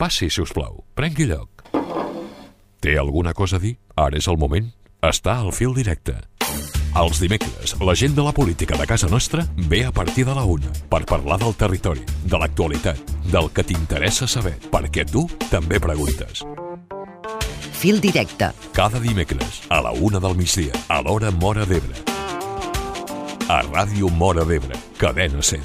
Passi, si us plau. Prengui lloc. Té alguna cosa a dir? Ara és el moment. Està al fil directe. Els dimecres, la gent de la política de casa nostra ve a partir de la 1 per parlar del territori, de l'actualitat, del que t'interessa saber, perquè tu també preguntes. Fil directe. Cada dimecres, a la 1 del migdia, a l'hora Móra d'Ebre. A Ràdio Móra d'Ebre, Cadena SER.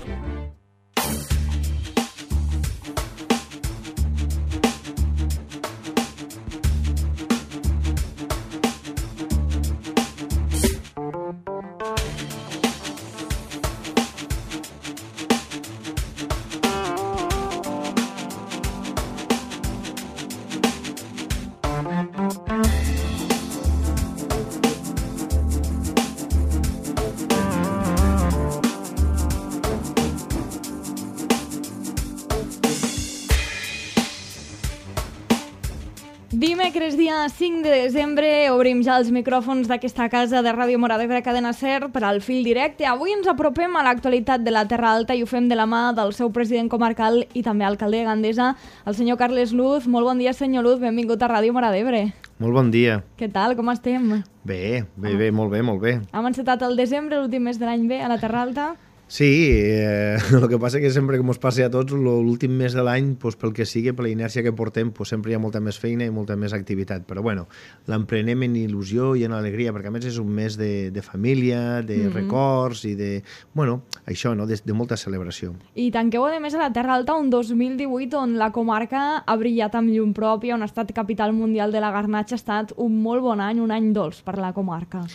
Dimecres, dia 5 de desembre, obrim ja els micròfons d'aquesta casa de Ràdio Móra d'Ebre, Cadena SER, per al fil directe. Avui ens apropem a l'actualitat de la Terra Alta i ho fem de la mà del seu president comarcal i també alcalde de Gandesa, el senyor Carles Luz. Molt bon dia, senyor Luz, benvingut a Ràdio Móra d'Ebre. Molt bon dia. Què tal, com estem? Bé, molt bé. Hem encetat el desembre, l'últim mes de l'any bé, a la Terra Alta? Sí, el que passa que sempre que ens passa a tots, l'últim mes de l'any, doncs, pel que sigui, per la inèrcia que portem, doncs, sempre hi ha molta més feina i molta més activitat. Però bueno, l'emprenem en il·lusió i en alegria, perquè a més és un mes de família, de records i de, bueno, això, no?, de molta celebració. I tanqueu, a més, a la Terra Alta un 2018 on la comarca ha brillat amb llum pròpia, on ha estat capital mundial de la garnatxa. Ha estat un molt bon any, un any dolç per la comarca.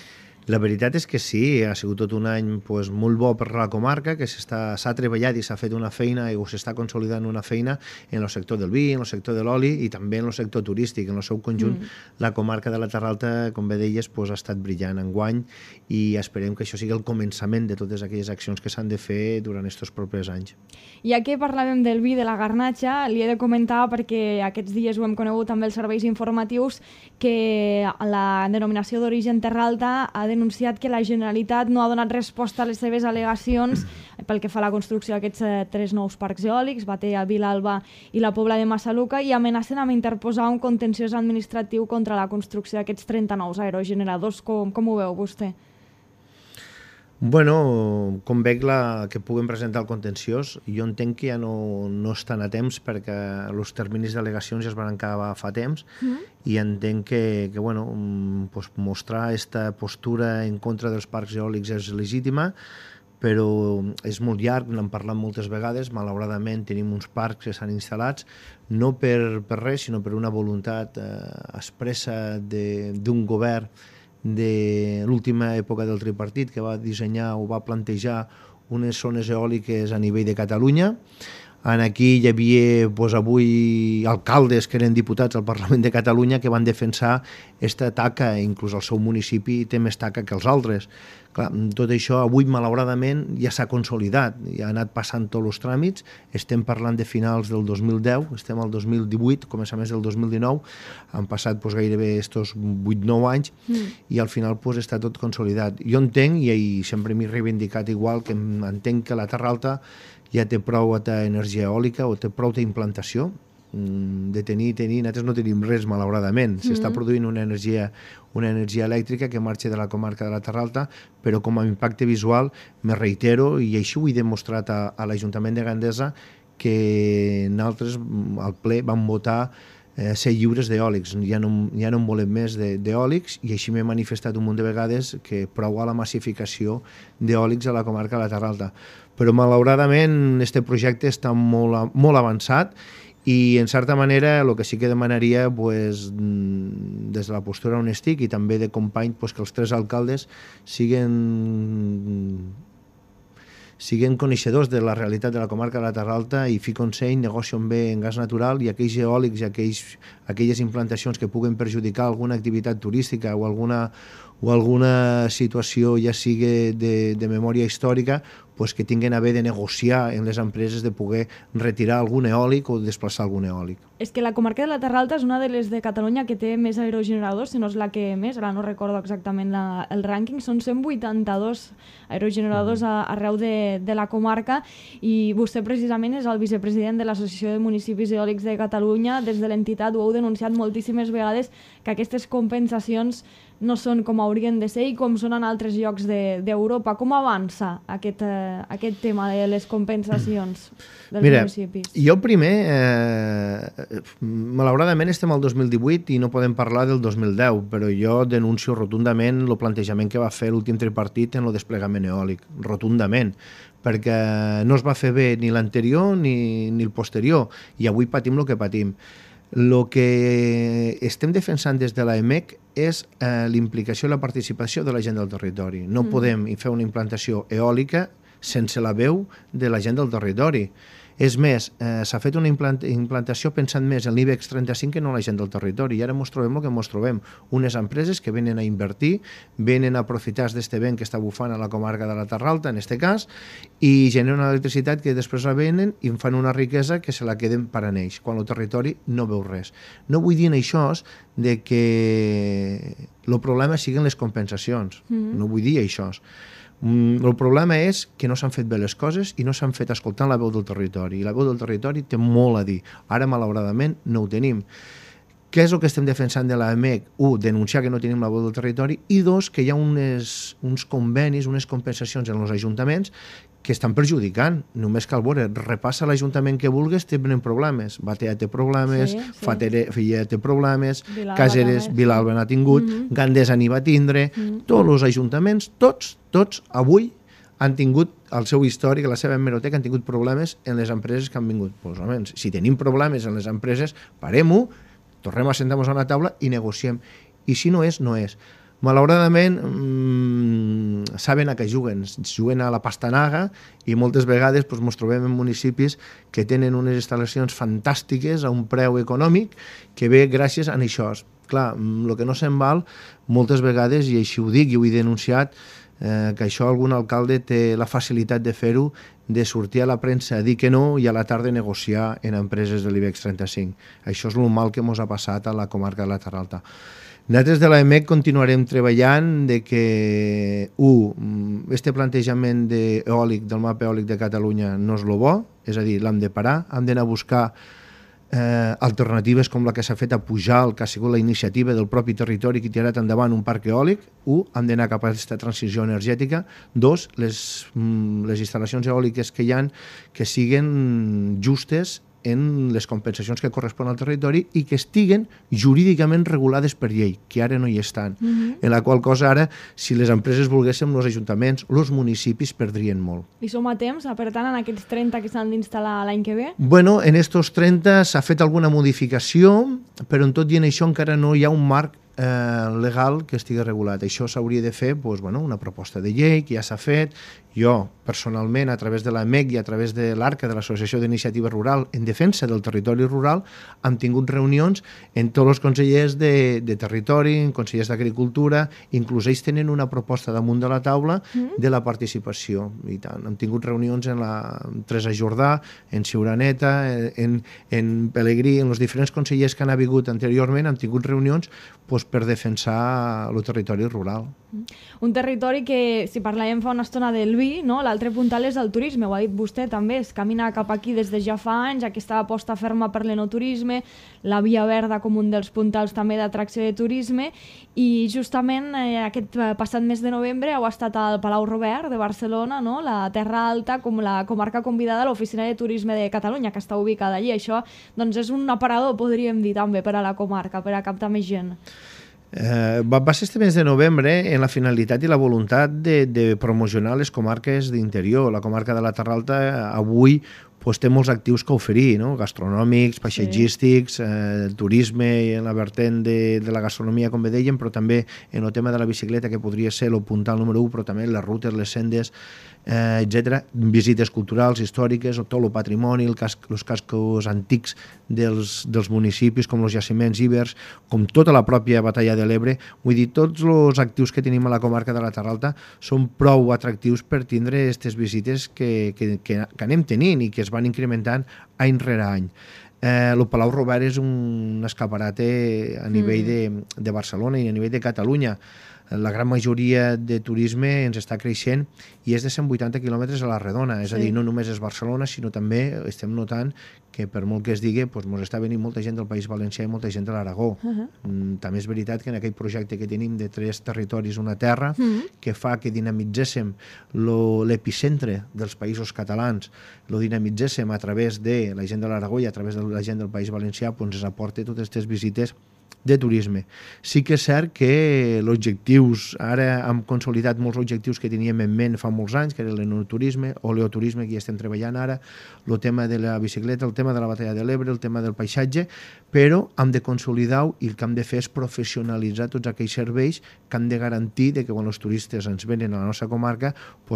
La veritat és que sí, ha sigut tot un any doncs, molt bo per la comarca, que s'ha treballat i s'ha fet una feina o s'està consolidant una feina en el sector del vi, en el sector de l'oli i també en el sector turístic. En el seu conjunt, la comarca de la Terra Alta, com bé deies, doncs, ha estat brillant enguany i esperem que això sigui el començament de totes aquelles accions que s'han de fer durant aquests propers anys. Ja que parlàvem del vi, de la garnatxa, li he de comentar, perquè aquests dies ho hem conegut també els serveis informatius, que la denominació d'origen Terra Alta ha denunciat que la Generalitat no ha donat resposta a les seves al·legacions pel que fa a la construcció d'aquests 3 nous parcs eòlics, Batea, Vilalba i la Pobla de Massaluca, i amenacen amb interposar un contenciós administratiu contra la construcció d'aquests 30 nous aerogeneradors. Com ho veu vostè? Bueno, com veig que puguem presentar el contenciós, jo entenc que ja no estan a temps perquè els terminis d'al·legacions ja es van acabar fa temps i entenc que bueno, pues, mostrar aquesta postura en contra dels parcs eòlics és legítima, però és molt llarg, n'hem parlat moltes vegades. Malauradament tenim uns parcs que s'han instal·lats no per res, sinó per una voluntat expressa d'un govern de l'última època del tripartit, que va dissenyar o va plantejar unes zones eòliques a nivell de Catalunya. Aquí hi havia avui alcaldes que eren diputats al Parlament de Catalunya que van defensar aquesta taca, inclús el seu municipi té més taca que els altres. Clar, tot això avui malauradament ja s'ha consolidat, ja ha anat passant tots els tràmits, estem parlant de finals del 2010, estem al 2018, començaments del 2019, han passat gairebé estos 8-9 anys i al final està tot consolidat. Jo entenc, i sempre m'he reivindicat igual, que entenc que la Terra Alta ja té prou energia eòlica o té prou d'implantació, de tenir, nosaltres no tenim res malauradament, s'està produint una energia elèctrica que marxa de la comarca de la Terra Alta, però com a impacte visual me reitero, i així ho he demostrat a l'Ajuntament de Gandesa, que nosaltres al ple vam votar ser lliures d'eòlics, ja no en volem més d'eòlics, i així m'he manifestat un munt de vegades que prou a la massificació d'eòlics a la comarca de la Terra Alta. Però malauradament aquest projecte està molt avançat i en certa manera el que sí que demanaria des de la postura on estic i també de company que els 3 alcaldes siguin coneixedors de la realitat de la comarca de la Terra Alta i fi consell, negocien bé en gas natural i aquells eòlics i aquelles implantacions que puguen perjudicar alguna activitat turística o o alguna situació ja sigui de memòria històrica, pues que tinguin a haver de negociar en les empreses de poder retirar algun eòlic o desplaçar algun eòlic. És que la comarca de la Terra Alta és una de les de Catalunya que té més aerogeneradors, si no és la que més, ara no recordo exactament el rànquing, són 182 aerogeneradors arreu de la comarca, i vostè precisament és el vicepresident de l'Associació de Municipis Eòlics de Catalunya. Des de l'entitat ho heu denunciat moltíssimes vegades, que aquestes compensacions no són com haurien de ser i com són en altres llocs d'Europa. Com avança aquest tema de les compensacions dels municipis? Jo primer, malauradament estem al 2018 i no podem parlar del 2010, però jo denuncio rotundament el plantejament que va fer l'últim tripartit en el desplegament eòlic, rotundament, perquè no es va fer bé ni l'anterior ni el posterior, i avui patim el que patim. El que estem defensant des de l'AEMEC és l'implicació i la participació de la gent del territori. No podem fer una implantació eòlica sense la veu de la gent del territori. És més, s'ha fet una implantació pensant més en l'IBEX 35 que no en la gent del territori, i ara ens trobem el que ens trobem. Unes empreses que venen a invertir, venen a aprofitar d'este vent que està bufant a la comarca de la Terra Alta, en aquest cas, i generen una electricitat que després la venen i en fan una riquesa que se la queden per a ells, quan el territori no veu res. No vull dir en això de que el problema siguin les compensacions, no vull dir això. El problema és que no s'han fet bé les coses i no s'han fet escoltant la veu del territori, i la veu del territori té molt a dir. Ara, malauradament, no ho tenim. Què és el que estem defensant de l'AEMEC? Denunciar que no tenim la veu del territori, i dos, que hi ha uns convenis, unes compensacions en els ajuntaments que estan perjudicant. Només cal veure, repassa l'Ajuntament que vulguis, tenen problemes. Batea té problemes, Filla té problemes, Caseres, Vilalba n'ha tingut, Gandesa n'hi va tindre, tots els ajuntaments, tots avui han tingut el seu històric, la seva hemeroteca, han tingut problemes en les empreses que han vingut. Pues, almenys, si tenim problemes en les empreses, parem-ho, tornem a sentar-nos a una taula i negociem. I si no és, no és. Malauradament, saben a què juguen a la pastanaga, i moltes vegades ens trobem en municipis que tenen unes instal·lacions fantàstiques a un preu econòmic que ve gràcies a això. Clar, el que no se'n val moltes vegades, i així ho dic i ho he denunciat, que això algun alcalde té la facilitat de fer-ho, de sortir a la premsa a dir que no i a la tarda negociar en empreses de l'IBEX 35. Això és el mal que ens ha passat a la comarca de la Terra Alta. Nosaltres de l'AEMEC continuarem treballant de que, este plantejament eòlic del mapa eòlic de Catalunya no és el bo, és a dir, l'hem de parar, hem d'anar a buscar alternatives com la que s'ha fet a Pujalt, que ha sigut la iniciativa del propi territori que ha tirat endavant un parc eòlic. Hem d'anar cap a aquesta transició energètica. Dos, les instal·lacions eòliques que hi ha que siguin justes en les compensacions que corresponen al territori i que estiguen jurídicament regulades per llei, que ara no hi estan. En la qual cosa ara, si les empreses volguéssim, els ajuntaments, els municipis perdrien molt. I som a temps, per tant, en aquests 30 que s'han d'instal·lar l'any que ve? Bueno, en estos 30 s'ha fet alguna modificació, però en tot i en això encara no hi ha un marc legal que estigui regulat. Això s'hauria de fer una proposta de llei que ja s'ha fet. Jo, personalment, a través de l'AEMEC i a través de l'ARCA, de l'Associació d'Iniciativa Rural en Defensa del Territori Rural, hem tingut reunions amb tots els consellers de Territori, consellers d'Agricultura, inclús ells tenen una proposta damunt de la taula de la participació. I tant, hem tingut reunions en Teresa Jordà, en Ciuraneta, en Pelegrí, en els diferents consellers que han vingut anteriorment, hem tingut reunions per defensar el territori rural. Un territori que, si parlàvem fa una estona del vi, l'altre puntal és el turisme, ho ha dit vostè també, es camina cap aquí des de ja fa anys, aquesta aposta ferma per l'enoturisme, la Via Verda com un dels puntals també d'atracció de turisme, i justament aquest passat mes de novembre heu estat al Palau Robert de Barcelona, la Terra Alta, com la comarca convidada a l'Oficina de Turisme de Catalunya, que està ubicada allí. Això és un aparador, podríem dir, també per a la comarca, per a captar més gent. Va ser este mes de novembre en la finalitat i la voluntat de promocionar les comarques d'interior. La comarca de la Terra Alta avui té molts actius que oferir, no? Gastronòmics, paisatgístics, turisme en la vertent de la gastronomia, com bé dèiem, però també en el tema de la bicicleta, que podria ser el puntal número 1, però també les rutes, les sendes, etc. Visites culturals, històriques, tot el patrimoni, els cascos antics dels municipis, com els jaciments ibers, com tota la pròpia Batalla de l'Ebre. Vull dir, tots els actius que tenim a la comarca de la Terra Alta són prou atractius per tindre aquestes visites que anem tenint i que es van incrementant any rere any. El Palau Robert és un escaparate a nivell de Barcelona i a nivell de Catalunya. La gran majoria de turisme ens està creixent i és de 180 quilòmetres a la redona, és a dir, no només és Barcelona, sinó també estem notant que per molt que es digui, ens està venint molta gent del País Valencià i molta gent de l'Aragó. També és veritat que en aquell projecte que tenim de 3 territoris, una terra, que fa que dinamitzéssim l'epicentre dels països catalans, lo dinamitzéssim a través de la gent de l'Aragó i a través de la gent del País Valencià, ens aporta totes aquestes visites de turisme. Sí que és cert que els objectius, ara hem consolidat molts objectius que teníem en ment fa molts anys, que era l'enoturisme o l'eoturisme, que ja estem treballant ara, el tema de la bicicleta, el tema de la Batalla de l'Ebre, el tema del paisatge, però hem de consolidar-ho i el que hem de fer és professionalitzar tots aquells serveis que han de garantir que quan els turistes ens venen a la nostra comarca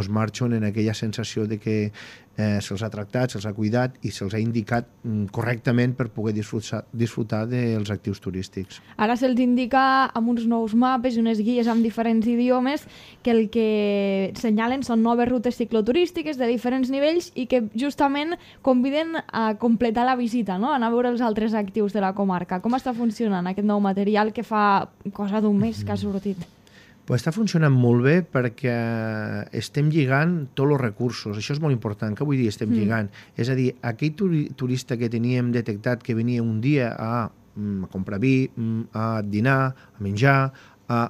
marxen en aquella sensació de que se'ls ha tractat, se'ls ha cuidat i se'ls ha indicat correctament per poder disfrutar dels actius turístics. Ara se'ls indica amb uns nous mapes i unes guies amb diferents idiomes que el que senyalen són noves rutes cicloturístiques de diferents nivells i que justament conviden a completar la visita, no? A anar a veure els altres actius de la comarca. Com està funcionant aquest nou material que fa cosa d'un mes que ha sortit? Pues està funcionant molt bé perquè estem lligant tots els recursos. Això és molt important. Què vull dir estem lligant? És a dir, aquell turista que teníem detectat que venia un dia a comprar vi, a dinar, a menjar, a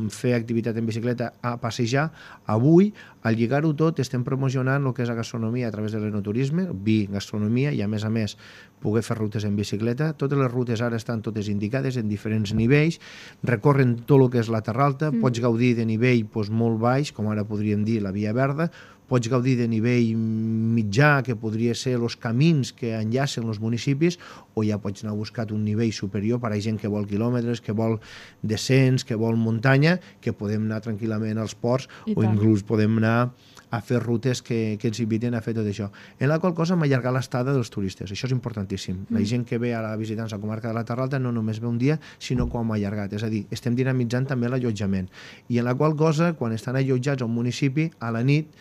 fer activitat en bicicleta, a passejar, avui, al lligar-ho tot, estem promocionant el que és la gastronomia a través de l'enoturisme, vi, gastronomia, i a més, poder fer rutes en bicicleta. Totes les rutes ara estan totes indicades en diferents nivells, recorren tot el que és la Terra Alta, pots gaudir de nivell molt baix, com ara podríem dir la Via Verda, pots gaudir de nivell mitjà, que podria ser els camins que enllacen els municipis, o ja pots anar a buscar un nivell superior per a gent que vol quilòmetres, que vol descens, que vol muntanya, que podem anar tranquil·lament als ports o inclús podem anar a fer rutes que ens inviten a fer tot això. En la qual cosa hem allargat l'estada dels turistes. Això és importantíssim. La gent que ve a visitar la comarca de la Terra Alta no només ve un dia, sinó que ho hem allargat. És a dir, estem dinamitzant també l'allotjament. I en la qual cosa, quan estan allotjats a un municipi, a la nit,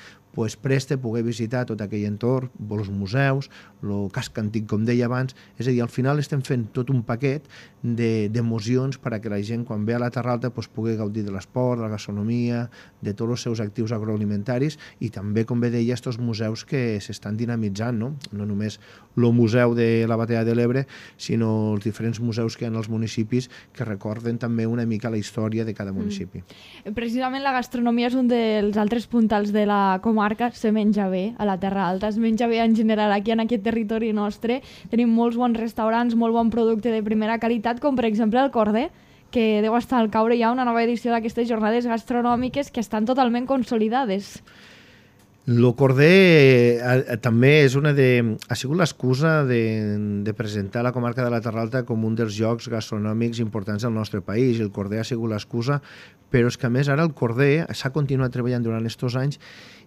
presta poder visitar tot aquell entorn, els museus, el casc antic, com deia abans. És a dir, al final estem fent tot un paquet d'emocions perquè la gent, quan ve a la Terra Alta, pugui gaudir de l'esport, de la gastronomia, de tots els seus actius agroalimentaris i també, com bé deia, aquests museus que s'estan dinamitzant, no? No només el museu de la Batalla de l'Ebre, sinó els diferents museus que hi ha als municipis que recorden també una mica la història de cada municipi. Precisament la gastronomia és un dels altres puntals de la comarca. Se menja bé a la Terra Alta, es menja bé en general aquí en aquest territori nostre. Tenim molts bons restaurants, molt bon producte de primera qualitat, com per exemple el Corder, que deu estar al caure ja una nova edició d'aquestes jornades gastronòmiques que estan totalment consolidades. El Corder també ha sigut l'excusa de presentar la comarca de la Terra Alta com un dels llocs gastronòmics importants del nostre país. El Corder ha sigut l'excusa, però és que a més ara el Corder s'ha continuat treballant durant aquests anys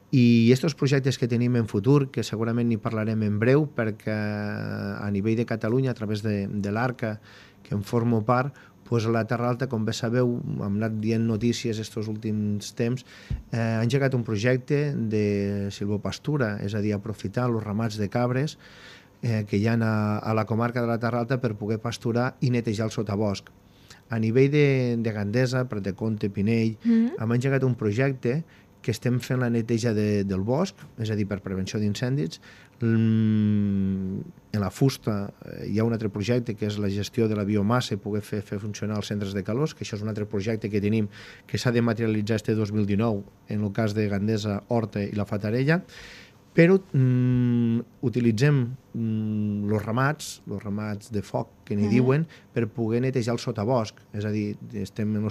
i aquests projectes que tenim en futur, que segurament n'hi parlarem en breu, perquè a nivell de Catalunya, a través de l'ARCA, que en formo part, a la Terra Alta, com bé sabeu, hem anat dient notícies aquests últims temps, ha engegat un projecte de silvopastura, és a dir, aprofitar els ramats de cabres que hi ha a la comarca de la Terra Alta per poder pasturar i netejar el sotabosc. A nivell de Gandesa, Prat de Comte, Pinell, hem engegat un projecte que estem fent la neteja del bosc, és a dir, per prevenció d'incendis. En la fusta hi ha un altre projecte que és la gestió de la biomassa i poder fer funcionar els centres de calors, que això és un altre projecte que tenim que s'ha de materialitzar este 2019 en el cas de Gandesa, Horta i la Fatarella, però utilitzem els ramats de foc, que n'hi diuen, per poder netejar el sotabosc. És a dir, estem en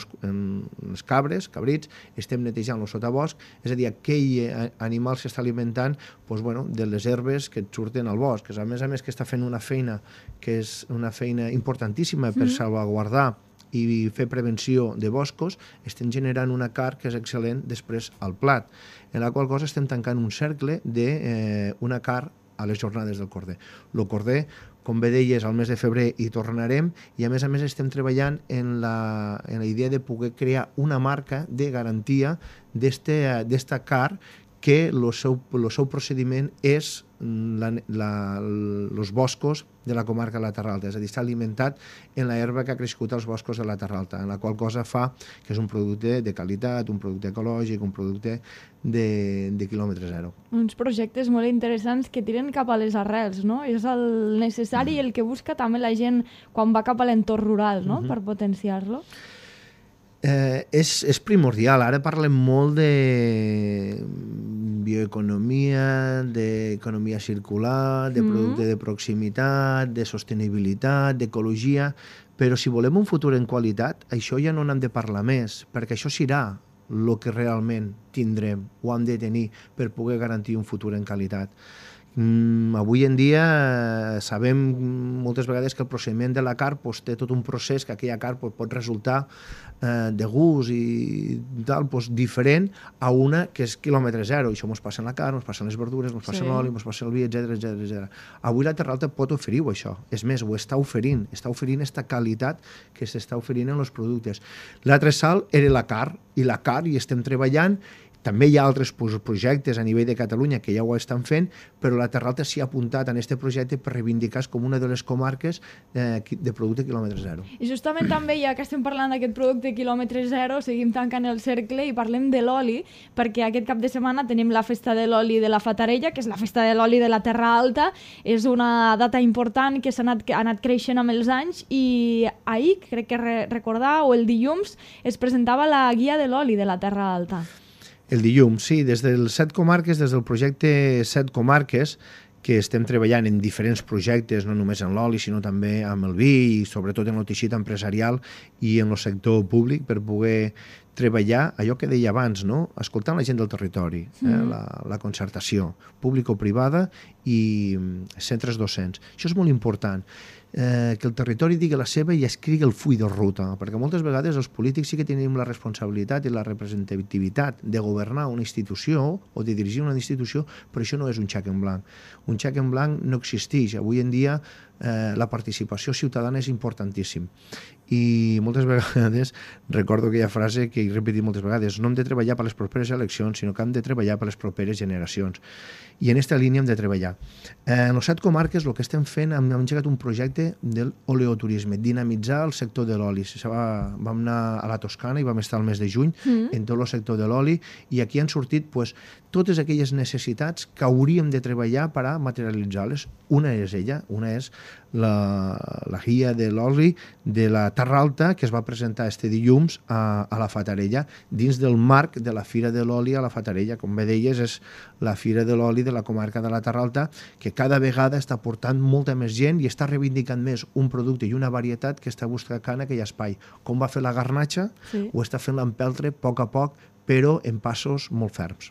les cabrits, estem netejant el sotabosc, és a dir, aquell animal s'està alimentant de les herbes que et surten al bosc. A més que està fent una feina que és una feina importantíssima per salvaguardar i fer prevenció de boscos, estem generant una carn que és excel·lent després al plat, en la qual cosa estem tancant un cercle d'una carn a les jornades del corder. El corder, com bé deies, al mes de febrer hi tornarem i a més estem treballant en la idea de poder crear una marca de garantia d'esta carn que el seu procediment és els boscos de la comarca de la Terra Alta, és a dir, està alimentat en l'herba que ha crescut als boscos de la Terra Alta, en la qual cosa fa que és un producte de qualitat, un producte ecològic, un producte de quilòmetre zero. Uns projectes molt interessants que tiren cap a les arrels, no? És el necessari i el que busca també la gent quan va cap a l'entorn rural, no? Per potenciar-lo. És primordial. Ara parlem molt de bioeconomia, d'economia circular, de producte de proximitat, de sostenibilitat, d'ecologia, però si volem un futur en qualitat, això ja no n'hem de parlar més, perquè això serà el que realment tindrem o hem de tenir per poder garantir un futur en qualitat. Avui en dia sabem moltes vegades que el procediment de la carn té tot un procés que aquella carn pot resultar de gust i tal, diferent a una que és quilòmetre zero. Això ens passa en la carn, ens passa en les verdures, ens passa en l'oli, ens passa en el vi, etc. Avui la Terra Alta pot oferir-ho, això. És més, ho està oferint aquesta qualitat que s'està oferint en els productes. L'altre salt era la carn, i la carn hi estem treballant. També hi ha altres projectes a nivell de Catalunya que ja ho estan fent, però la Terra Alta s'hi ha apuntat en aquest projecte per reivindicar-se com una de les comarques de producte quilòmetre zero. I justament també, ja que estem parlant d'aquest producte quilòmetre zero, seguim tancant el cercle i parlem de l'oli, perquè aquest cap de setmana tenim la festa de l'oli de la Fatarella, que és la festa de l'oli de la Terra Alta. És una data important que ha anat creixent amb els anys i ahir, crec que recordar, o el dilluns, es presentava la guia de l'oli de la Terra Alta. El dilluns, sí, des del 7 comarques, des del projecte 7 comarques, que estem treballant en diferents projectes, no només en l'oli, sinó també amb el vi i sobretot en el teixit empresarial i en el sector públic per poder treballar allò que deia abans, no? Escoltant la gent del territori, la concertació público-privada i centres docents. Això és molt important. Que el territori digui la seva i escrigui el full de ruta, perquè moltes vegades els polítics sí que tenim la responsabilitat i la representativitat de governar una institució o de dirigir una institució, però això no és un xec en blanc. Un xec en blanc no existeix. Avui en dia la participació ciutadana és importantíssim. I moltes vegades recordo aquella frase que he repetit moltes vegades: no hem de treballar per les properes eleccions, sinó que hem de treballar per les properes generacions. I en aquesta línia hem de treballar. En les 7 comarques el que estem fent, hem engegat un projecte de l'oleoturisme, dinamitzar el sector de l'oli. Vam anar a la Toscana i vam estar el mes de juny en tot el sector de l'oli i aquí han sortit totes aquelles necessitats que hauríem de treballar per a materialitzar-les. Una és la guia de l'oli de la Terra Alta, que es va presentar este dilluns a la Fatarella, dins del marc de la Fira de l'Oli a la Fatarella. Com bé deies, és la Fira de l'Oli de la comarca de la Terra Alta, que cada vegada està portant molta més gent i està reivindicant més un producte i una varietat que està buscant aquell espai. Com va fer la garnatxa, ho està fent l'empeltre a poc, però en passos molt ferms.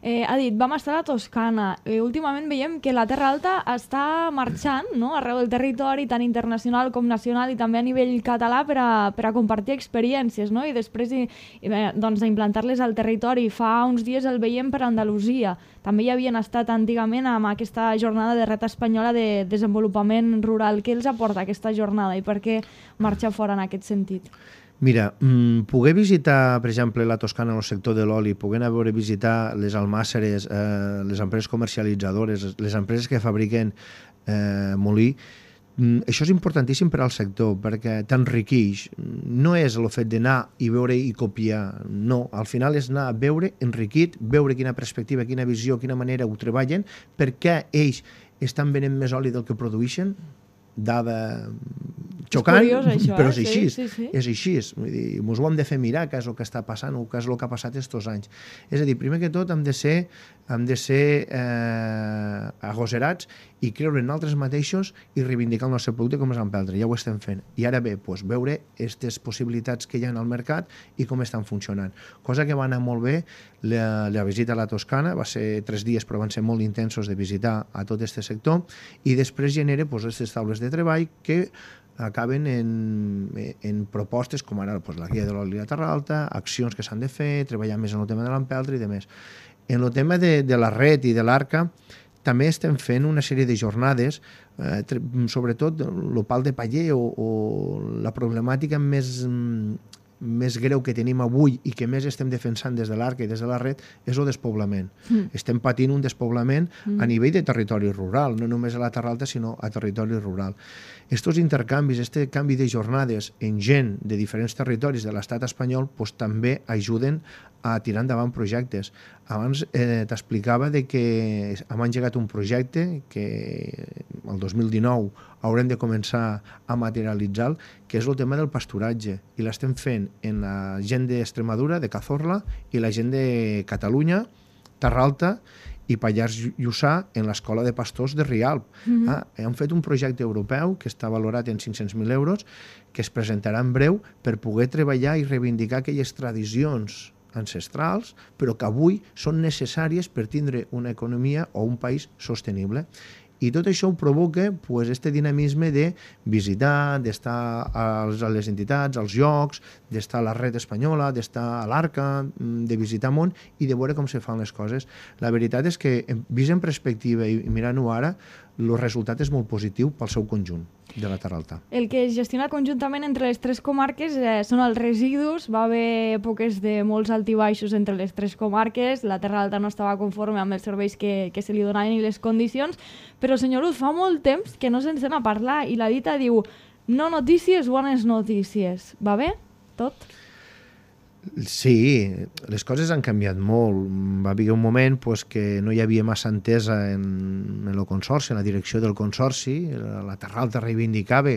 Ha dit, vam estar a la Toscana. Últimament veiem que la Terra Alta està marxant, no?, arreu del territori, tant internacional com nacional, i també a nivell català per a compartir experiències, no?, i després d'implantar-les al territori. Fa uns dies el veiem per Andalusia. També hi havien estat antigament amb aquesta jornada de Reta Espanyola de desenvolupament rural. Què els aporta aquesta jornada i per què marxa fora en aquest sentit? Mira, poder visitar, per exemple, la Toscana en el sector de l'oli, poder anar a veure visitar les almàsseres, les empreses comercialitzadores, les empreses que fabriquen molí, això és importantíssim per al sector, perquè t'enriqueix. No és el fet d'anar i veure i copiar, no. Al final és anar a veure, enriquit, veure quina perspectiva, quina visió, quina manera ho treballen, per què ells estan venent més oli del que produeixen, dada xocant, curiós, això, però és així. Sí. És així. Vull dir, ens ho hem de fer mirar què és el que està passant o què és el que ha passat aquests anys. És a dir, primer que tot hem de ser agosserats i creure en nosaltres mateixos i reivindicar el nostre producte com és l'empeltre. Ja ho estem fent. I ara ve veure aquestes possibilitats que hi ha al mercat i com estan funcionant. Cosa que va anar molt bé, la visita a la Toscana, va ser 3 dies però van ser molt intensos de visitar a tot aquest sector i després genera aquestes taules de treball que acaben en propostes com ara la guia de l'oli de Terralta, accions que s'han de fer, treballar més en el tema de l'empeltre i demés. En el tema de la red i de l'Arca també estem fent una sèrie de jornades, sobretot el pal de paller o la problemàtica més greu que tenim avui i que més estem defensant des de l'Arca i des de la red és el despoblament. Estem patint un despoblament a nivell de territori rural, no només a la Terralta, sinó a territori rural. Estos intercanvis, este canvi de jornades en gent de diferents territoris de l'estat espanyol també ajuden a tirar endavant projectes. Abans t'explicava que hem engegat un projecte que el 2019 haurem de començar a materialitzar, que és el tema del pasturatge. I l'estem fent en la gent d'Extremadura, de Cazorla, i la gent de Catalunya, Terralta i Pallars Jussà en l'Escola de Pastors de Rialp. Hem fet un projecte europeu que està valorat en 500.000 euros que es presentarà en breu per poder treballar i reivindicar aquelles tradicions ancestrals, però que avui són necessàries per tindre una economia o un país sostenible. I tot això ho provoca este dinamisme de visitar, d'estar a les entitats, als llocs, d'estar a la red espanyola, d'estar a l'Arca, de visitar món i de veure com se fan les coses. La veritat és que, vist en perspectiva i mirant-ho ara, el resultat és molt positiu pel seu conjunt de la Terralta. El que es gestiona conjuntament entre les 3 comarques són els residus. Va haver èpoques de molts altibaixos entre les 3 comarques. La Terralta no estava conforme amb els serveis que se li donaven i les condicions. Però, senyor Luz, fa molt temps que no se'n sent a parlar i la dita diu no notícies, bones notícies. Va bé? Tot? Sí, les coses han canviat molt. Va haver un moment que no hi havia massa entesa en el consorci, en la direcció del consorci. La Terralta reivindicava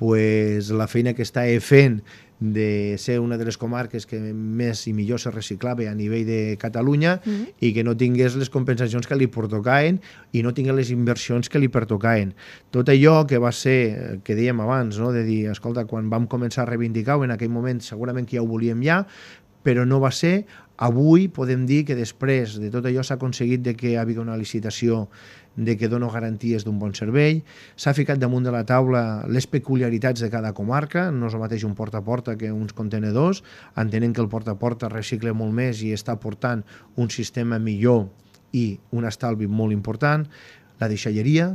la feina que estava fent de ser una de les comarques que més i millor se reciclava a nivell de Catalunya i que no tingués les compensacions que li pertocaven i no tingués les inversions que li pertocaven. Tot allò que va ser, que dèiem abans, no? De dir, escolta, quan vam començar a reivindicar-ho, en aquell moment segurament que ja ho volíem ja, però no va ser. Avui podem dir que després de tot allò s'ha aconseguit que hi hagi una licitació de que dona garanties d'un bon servei, s'ha ficat damunt de la taula les peculiaritats de cada comarca, no és el mateix un porta a porta que uns contenedors, entenent que el porta a porta recicla molt més i està portant un sistema millor i un estalvi molt important. La deixalleria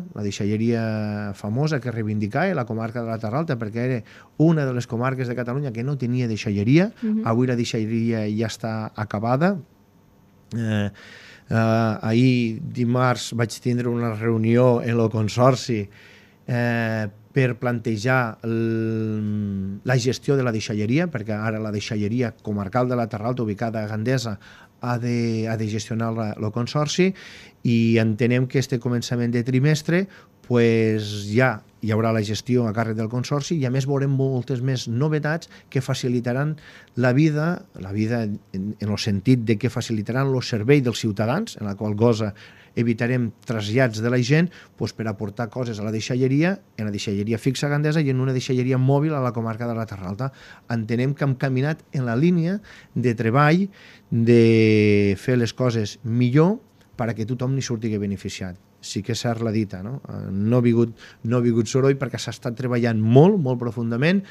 famosa que reivindicava la comarca de la Terralta, perquè era una de les comarques de Catalunya que no tenia deixalleria. Avui la deixalleria ja està acabada. Ahir, dimarts, vaig tindre una reunió en el consorci per plantejar la gestió de la deixalleria, perquè ara la deixalleria comarcal de la Terralta, ubicada a Gandesa, ha de gestionar el consorci i entenem que este començament de trimestre ja hi haurà la gestió a càrrec del consorci i a més veurem moltes més novetats que facilitaran la vida en el sentit de que facilitaran el servei dels ciutadans, en la qual cosa evitarem trasllats de la gent per aportar coses a la deixalleria, en la deixalleria fixa a Gandesa i en una deixalleria mòbil a la comarca de la Terralta. Entenem que hem caminat en la línia de treball de fer les coses millor perquè tothom n'hi surti beneficiat. Sí que és cert la dita, no? No ha vingut soroll perquè s'ha estat treballant molt, molt profundament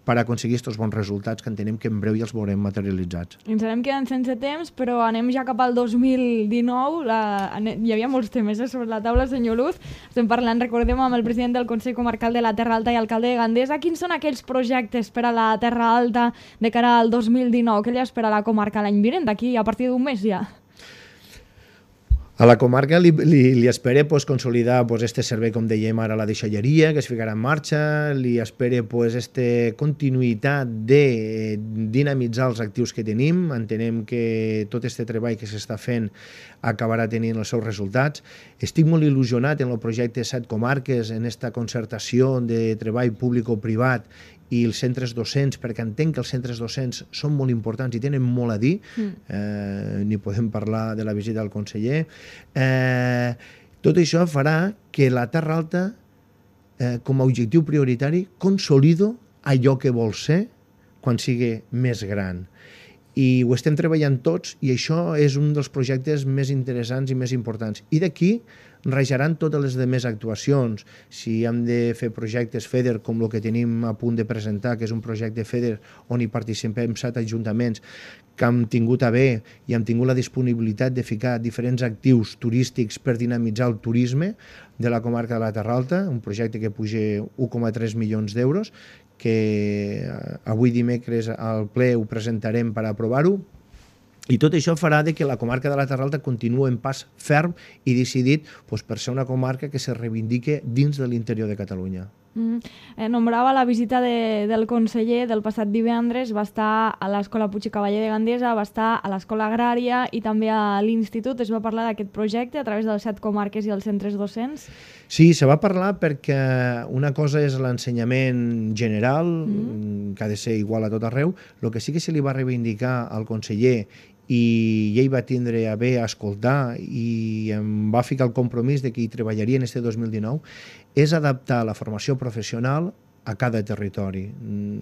per aconseguir aquests bons resultats que entenem que en breu ja els veurem materialitzats. Ens anem quedant sense temps, però anem ja cap al 2019. Hi havia molts temes sobre la taula, senyor Luz. Estem parlant, recordem, amb el president del Consell Comarcal de la Terra Alta i alcalde de Gandesa. Quins són aquells projectes per a la Terra Alta de cara al 2019? Què li espera a la comarca l'any vinent, d'aquí a partir d'un mes ja? A la comarca li espera consolidar este servei, com dèiem ara, la deixalleria, que es ficarà en marxa, li espera aquesta continuïtat de dinamitzar els actius que tenim. Entenem que tot aquest treball que s'està fent acabarà tenint els seus resultats. Estic molt il·lusionat en el projecte 7 comarques, en aquesta concertació de treball públic-privat i els centres docents, perquè entenc que els centres docents són molt importants i tenen molt a dir. Ni podem parlar de la visita del conseller. Tot això farà que la Terra Alta, com a objectiu prioritari, consolido allò que vol ser quan sigui més gran. I ho estem treballant tots, i això és un dels projectes més interessants i més importants. I d'aquí rajaran totes les demés actuacions. Si hem de fer projectes FEDER, com el que tenim a punt de presentar, que és un projecte FEDER on hi participem 7 ajuntaments que hem tingut a bé i hem tingut la disponibilitat de ficar diferents actius turístics per dinamitzar el turisme de la comarca de la Terra Alta, un projecte que puja 1,3 milions d'euros, que avui dimecres al ple ho presentarem per aprovar-ho. I tot això farà que la comarca de la Terra Alta continuï en pas ferm i decidit per ser una comarca que se reivindique dins de l'interior de Catalunya. Nombrava la visita del conseller del passat divendres, va estar a l'Escola Puig i Cavaller de Gandesa, va estar a l'Escola Agrària i també a l'Institut. Es va parlar d'aquest projecte a través de les 7 comarques i els centres docents? Sí, se va parlar perquè una cosa és l'ensenyament general, que ha de ser igual a tot arreu. El que sí que se li va reivindicar al conseller i ell va tindre a bé a escoltar i em va ficar el compromís de que hi treballaria en este 2019, és adaptar la formació professional a cada territori.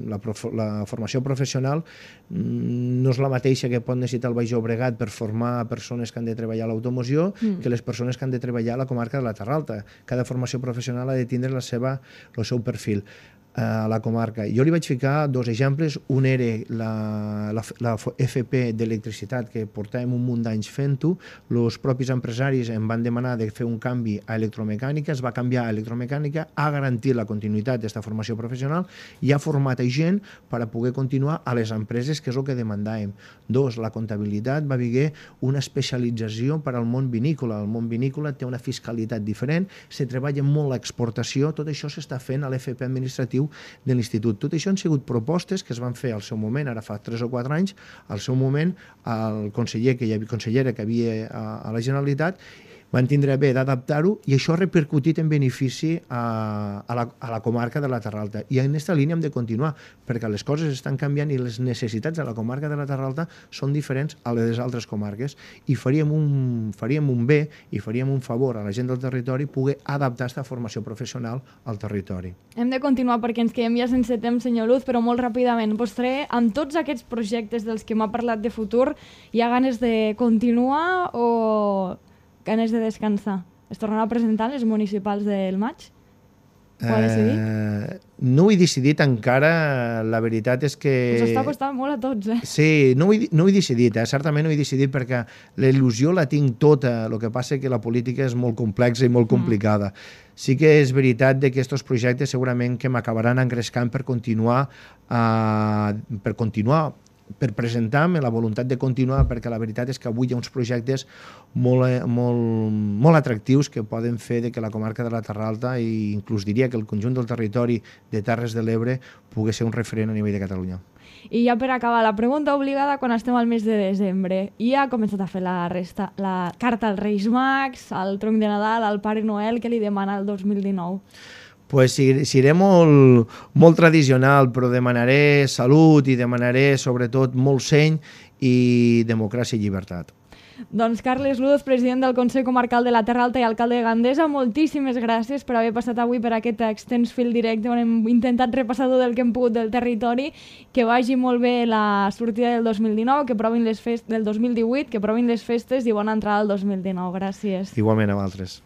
La formació professional no és la mateixa que pot necessitar el Baix Llobregat per formar persones que han de treballar a l'automoció que les persones que han de treballar a la comarca de la Terra Alta. Cada formació professional ha de tindre el seu perfil a la comarca. Jo li vaig ficar 2 exemples. Un era la FP d'electricitat, que portàvem un munt d'anys fent-ho. Els propis empresaris em van demanar de fer un canvi a electromecànica, es va canviar a electromecànica, ha garantit la continuïtat d'aquesta formació professional i ha format gent per a poder continuar a les empreses, que és el que demandàvem. 2, la comptabilitat va haver una especialització per al món vinícola. El món vinícola té una fiscalitat diferent, se treballa molt l'exportació, tot això s'està fent a l'FP administratiu de l'Institut. Tot això han sigut propostes que es van fer al seu moment, ara fa 3 o 4 anys, al seu moment el consellera que hi havia a la Generalitat van tindre bé d'adaptar-ho i això ha repercutit en benefici a la comarca de la Terra Alta. I en aquesta línia hem de continuar, perquè les coses estan canviant i les necessitats de la comarca de la Terra Alta són diferents a les altres comarques i faríem un bé i faríem un favor a la gent del territori poder adaptar aquesta formació professional al territori. Hem de continuar perquè ens quedem ja sense temps, senyor Luz, però molt ràpidament. Vostè, amb tots aquests projectes dels que m'ha parlat de futur, hi ha ganes de continuar o ganes de descansar? Es tornarà a presentar les municipals del maig? Ho ha decidit? No ho he decidit encara, la veritat és que... Us està costant molt a tots, eh? Sí, no ho he decidit, certament no ho he decidit perquè la il·lusió la tinc tota, el que passa és que la política és molt complexa i molt complicada. Sí que és veritat que aquests projectes segurament que m'acabaran engrescant per continuar, per presentar-me la voluntat de continuar, perquè la veritat és que avui hi ha uns projectes molt atractius que poden fer que la comarca de la Terra Alta i inclús diria que el conjunt del territori de Terres de l'Ebre pugui ser un referent a nivell de Catalunya. I ja per acabar, la pregunta obligada quan estem al mes de desembre. I ha començat a fer la carta als Reis Mags, al tronc de Nadal, al Pare Noel, que li demana el 2019? Pues seré molt tradicional, però demanaré salut i demanaré sobretot molt seny i democràcia i llibertat. Doncs Carles Luz, president del Consell Comarcal de la Terra Alta i alcalde de Gandesa, moltíssimes gràcies per haver passat avui per aquest extens fil directe on hem intentat repassar tot el que hem pogut del territori. Que vagi molt bé la sortida del 2019, que provin del 2018, que provin les festes i bona entrada al 2019. Gràcies. Igualment a vosaltres.